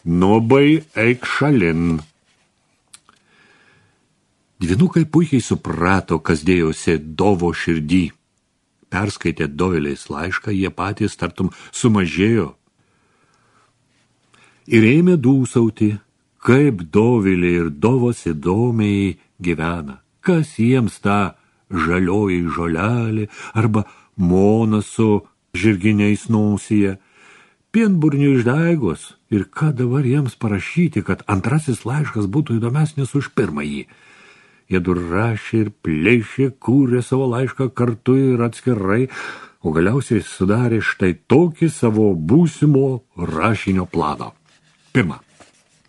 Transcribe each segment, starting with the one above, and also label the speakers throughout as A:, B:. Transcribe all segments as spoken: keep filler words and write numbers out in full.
A: Nubai eik šalin. Dvynukai puikiai suprato, kas dėjosi Dovo širdį. Perskaitė Dovilės laišką, jie patys tartum sumažėjo. Ir ėmė dūsauti, kaip Dovilė ir Dovas įdomiai gyvena. Kas jiems ta žalioji žolelė arba mona su žirginiais nosyje. Pienburnių išdaigos. Ir ką dabar jiems parašyti, kad antrasis laiškas būtų įdomesnis už pirmąjį. Jie rašė ir plėšė, kūrė savo laišką kartu ir atskirai, o galiausiai sudarė štai tokį savo būsimo rašinio planą. Pirma,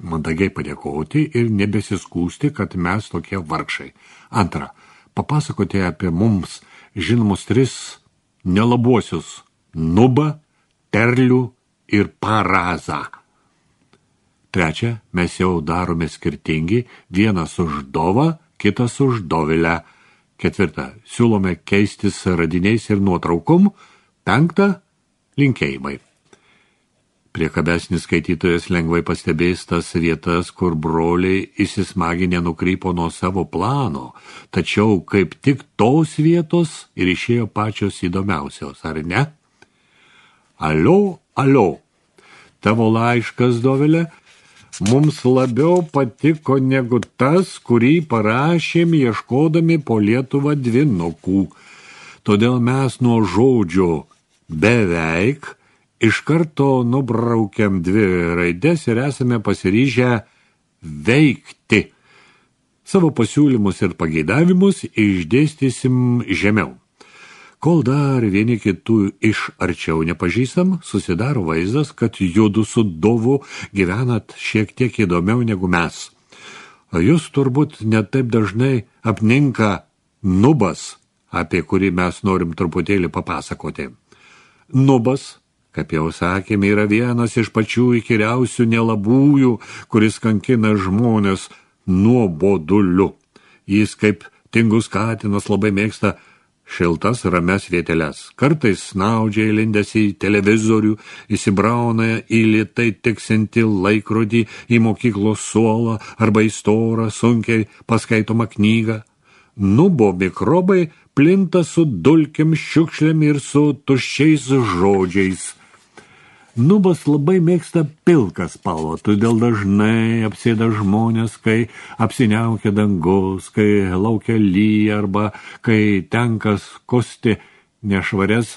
A: mandagiai padėkoti ir nebesiskūsti, kad mes tokie vargšai. Antra, papasakoti apie mums žinomus tris nelabuosius – Nubą, Terlių ir Parazą. Trečia, mes jau darome skirtingi, vienas už Dovą, kitas už Dovilę. Ketvirta, siūlome keistis radiniais ir nuotraukom. Penkta, linkėjimai. Priekabesnis skaitytojas lengvai pastebės tas vietas, kur broliai įsismaginę nukrypo nuo savo plano, tačiau kaip tik tos vietos ir išėjo pačios įdomiausios, ar ne? Alio, alio, tavo laiškas, Dovilė, mums labiau patiko negu tas, kurį parašėm ieškodami po Lietuvą dvynukų. Todėl mes nuo žodžio beveik iš karto nubraukiam dvi raides ir esame pasiryžę veikti. Savo pasiūlymus ir pageidavimus išdėstysim žemiau. Kol dar vieni kitų iš arčiau nepažįstam, susidaro vaizdas, kad judu su Dovu gyvenat šiek tiek įdomiau negu mes. Jūs turbūt netaip dažnai apninka Nubas, apie kurį mes norim truputėlį papasakoti. Nubas, kaip jau sakėme, yra vienas iš pačių įkyriausių nelabųjų, kuris kankina žmonės nuoboduliu. Jis kaip tingus katinas labai mėgsta šiltas rames vieteles. Kartais snaudžia įlindęs į televizorių, įsibrauna į lėtai tiksinti laikrodį, į mokyklos suolą arba į storą, sunkiai paskaitomą knygą. Nubo mikrobai plinta su dulkėm, šiukšlėm ir su tuščiais žodžiais. Nubas labai mėgsta pilką spalvą, todėl dažnai apsėda žmonės, kai apsiniaukia dangus, kai laukia lyja arba kai tenka skusti nešvarias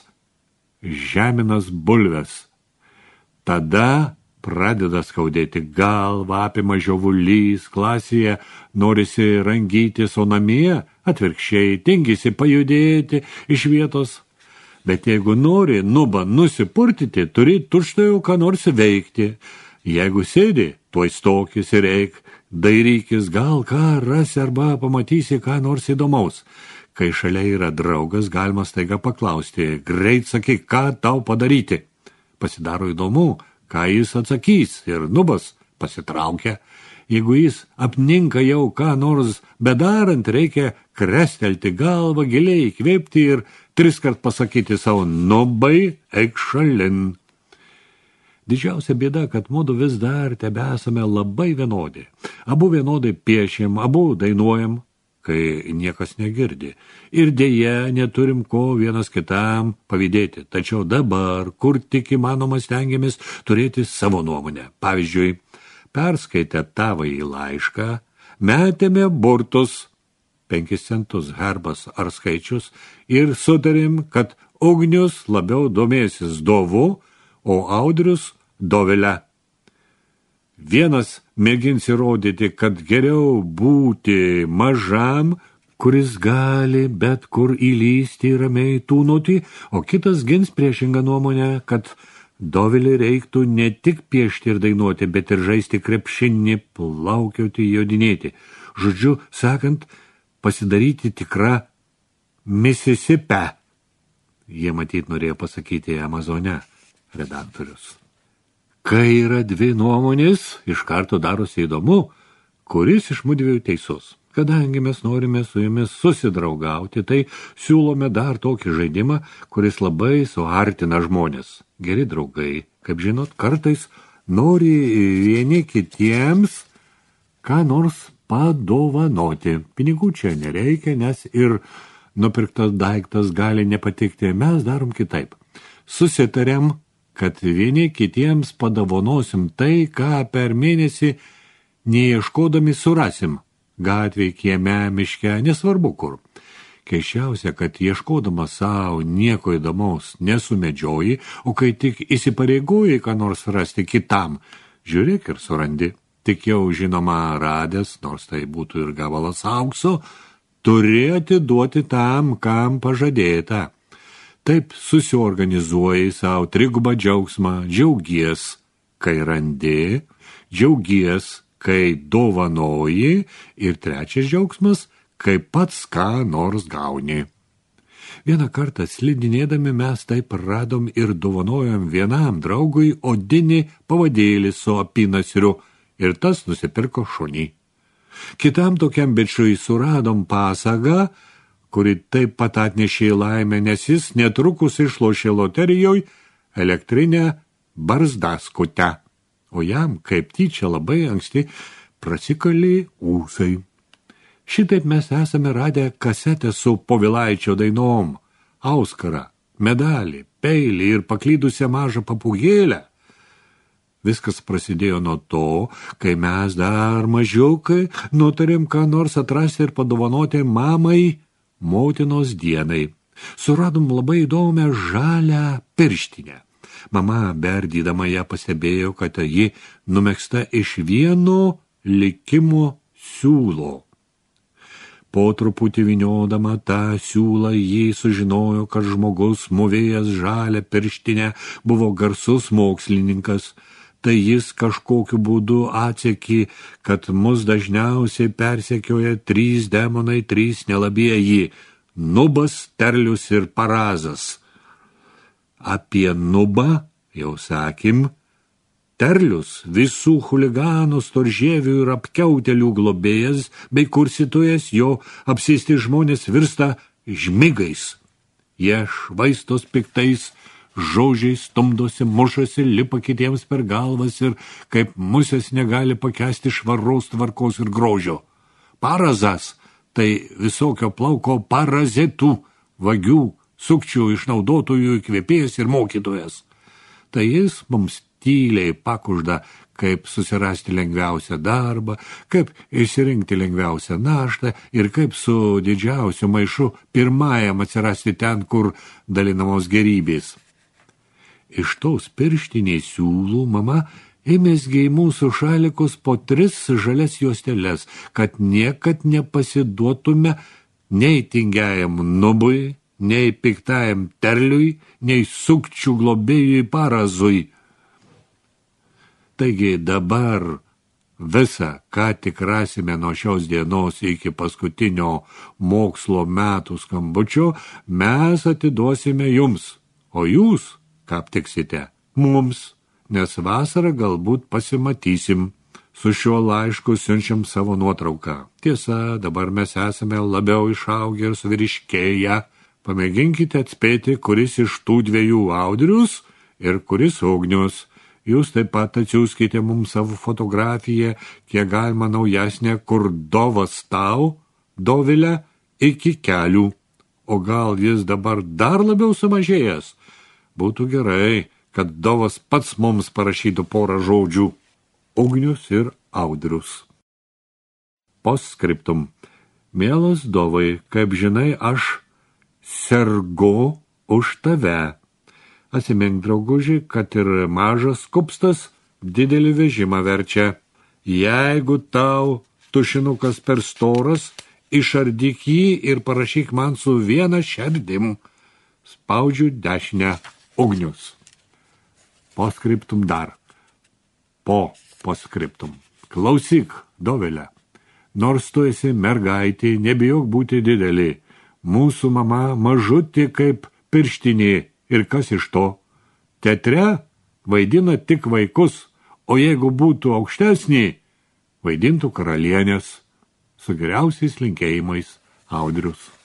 A: žeminas bulves. Tada pradeda skaudėti galvą, apima žiovulys, klasėje norisi rangytis, o namie atvirkščiai tingisi pajudėti iš vietos. Bet jeigu nori Nubą nusipurtyti, turi tučtuojau ką nors veikti. Jeigu sėdi, tuoj stokis ir eik, dairykis, gal ką rasi arba pamatysi ką nors įdomaus. Kai šalia yra draugas, galima staiga paklausti, greit sakyk, ką tau padaryti. Pasidaro įdomu, ką jis atsakys, ir Nubas pasitraukia. Jeigu jis apninka jau ką nors bedarant, reikia krestelti galvą, giliai įkvėpti ir triskart pasakyti savo Nubai, eik šalin. Didžiausia bėda, kad mudu vis dar tebesame labai vienodi. Abu vienodai piešėm, abu dainuojam, kai niekas negirdi. Ir dėja neturim ko vienas kitam pavydėti. Tačiau dabar, kur tik įmanoma, stengiamės turėti savo nuomonę. Pavyzdžiui, perskaitę tavąjį laišką, metėme burtus, penkis centus herbas ar skaičius, ir sutarėm, kad Ugnius labiau domėsis Dovu, o Audrius Dovilę. Vienas mėgins įrodyti, kad geriau būti mažam, kuris gali bet kur įlysti ramiai tūnoti, o kitas gins priešingą nuomonę, kad Dovilį reiktų ne tik piešti ir dainuoti, bet ir žaisti krepšinį, plaukioti, jodinėti. Žodžiu, sakant, pasidaryti tikrą Misisipę. Jie matyt norėjo pasakyti Amazone, redaktorius. Kai yra dvi nuomonės, iš karto darosi įdomu, kuris iš mudviejų teisus. Kadangi mes norime su jumis susidraugauti, tai siūlome dar tokį žaidimą, kuris labai suartina žmonės. Geri draugai, kaip žinot, kartais nori vieni kitiems ką nors padovanoti. Pinigų čia nereikia, nes ir nupirktas daiktas gali nepatikti. Mes darom kitaip. Susitarėm, kad vieni kitiems padovanosim tai, ką per mėnesį neieškodami surasim. Gatvėj, kieme, miške, nesvarbu kur. Keiščiausia, kad ieškodama savo nieko įdomaus nesumedžioji, o kai tik įsipareigoji ką nors rasti kitam, žiūrėk ir surandi. Tik jau žinoma radęs, nors tai būtų ir gabalas aukso, turi atiduoti tam, kam pažadėta. Taip susiorganizuoji savo trigubą džiaugsmą, džiaugies, kai randi, džiaugies, kai dovanoji ir trečias džiaugsmas, kai pats ką nors gauni. Vieną kartą slidinėdami mes taip radom ir dovanojom vienam draugui odinį pavadėlį su apynasriu ir tas nusipirko šunį. Kitam tokiam bičiui suradom pasagą, kuri taip pat atnešė laimę, nes jis netrukus išlošė loterijoj elektrinę barzdaskutę, o jam kaip tyčia labai anksti prasikalė ūsai. Šitaip mes esame radę kasetę su Povilaičio dainom, auskarą, medalį, peilį ir paklydusią mažą papūgėlę. Viskas prasidėjo nuo to, kai mes dar mažiukai nutarėm ką nors atrasti ir padovanoti mamai motinos dienai. Suradom labai įdomią žalią pirštinę. Mama, berdydama ją, pastebėjo, kad ji numegzta iš vieno likimo siūlo. Po truputį vyniodama tą siūlą, jį sužinojo, kad žmogus, mūvėjęs žalią pirštinę, buvo garsus mokslininkas. Tai jis kažkokiu būdu atsekė, kad mus dažniausiai persekioja trys demonai, trys nelabieji – Nubas, Terlius ir Parazas. Apie Nubą jau sakym, Terlius visų chuliganų, storžievių ir apkiautelių globėjas bei kurstytojas, jo apsėsti žmonės virsta žmigais. Jie švaistos piktais žodžiais, stumdosi, mušasi, lipa kitiems per galvas ir kaip musės negali pakęsti švaros, tvarkos ir grožio. Parazas – tai visokio plauko parazitų, vagių, sukčių, išnaudotojų, įkvėpėjas ir mokytojas. Tai jis mums tyliai pakužda, kaip susirasti lengviausią darbą, kaip išsirinkti lengviausią naštą ir kaip su didžiausiu maišu pirmajam atsirasti ten, kur dalinamos gerybės. Iš tos pirštinės siūlų mama ėmėsgi į mūsų šalikus po tris žalias juosteles, kad niekad nepasiduotume nei tingiajam Nubui, nei piktajam Terliui, nei sukčių globėjui Parazui. Taigi dabar visą, ką tik rasime nuo šios dienos iki paskutinio mokslo metų skambučio, mes atiduosime jums, o jūs, ką aptiksite, mums, nes vasarą galbūt pasimatysim. Su šiuo laišku siunčiam savo nuotrauką. Tiesa, dabar mes esame labiau išaugę ir suvyriškėję. Pamėginkite atspėti, kuris iš tų dviejų Audrius ir kuris Ugnius. Jūs taip pat atsiųskite mums savo fotografiją, kiek galima naujesnė, kur dovas tau, Dovilė, iki kelių. O gal jis dabar dar labiau sumažėjęs? Būtų gerai, kad dovas pats mums parašytų porą žodžių. Ugnius ir Audrius. Postscriptum. Mielas Dovai, kaip žinai, aš sergu už tave. Atsimink, drauguži, kad ir mažas kupstas didelį vežimą verčia. Jeigu tau tušinukas per storas, išardyk jį ir parašyk man su viena šerdim. Spaudžiu dešinę. Ugnius. Postscriptum dar. Po postscriptum. Klausyk, Dovilė. Nors tu esi mergaitė, nebijok būti didelį. Mūsų mama mažutė kaip pirštinė. Ir kas iš to? Teatre vaidina tik vaikus, o jeigu būtų aukštesnė, vaidintų karalienės. Su geriausiais linkėjimais, Audrius.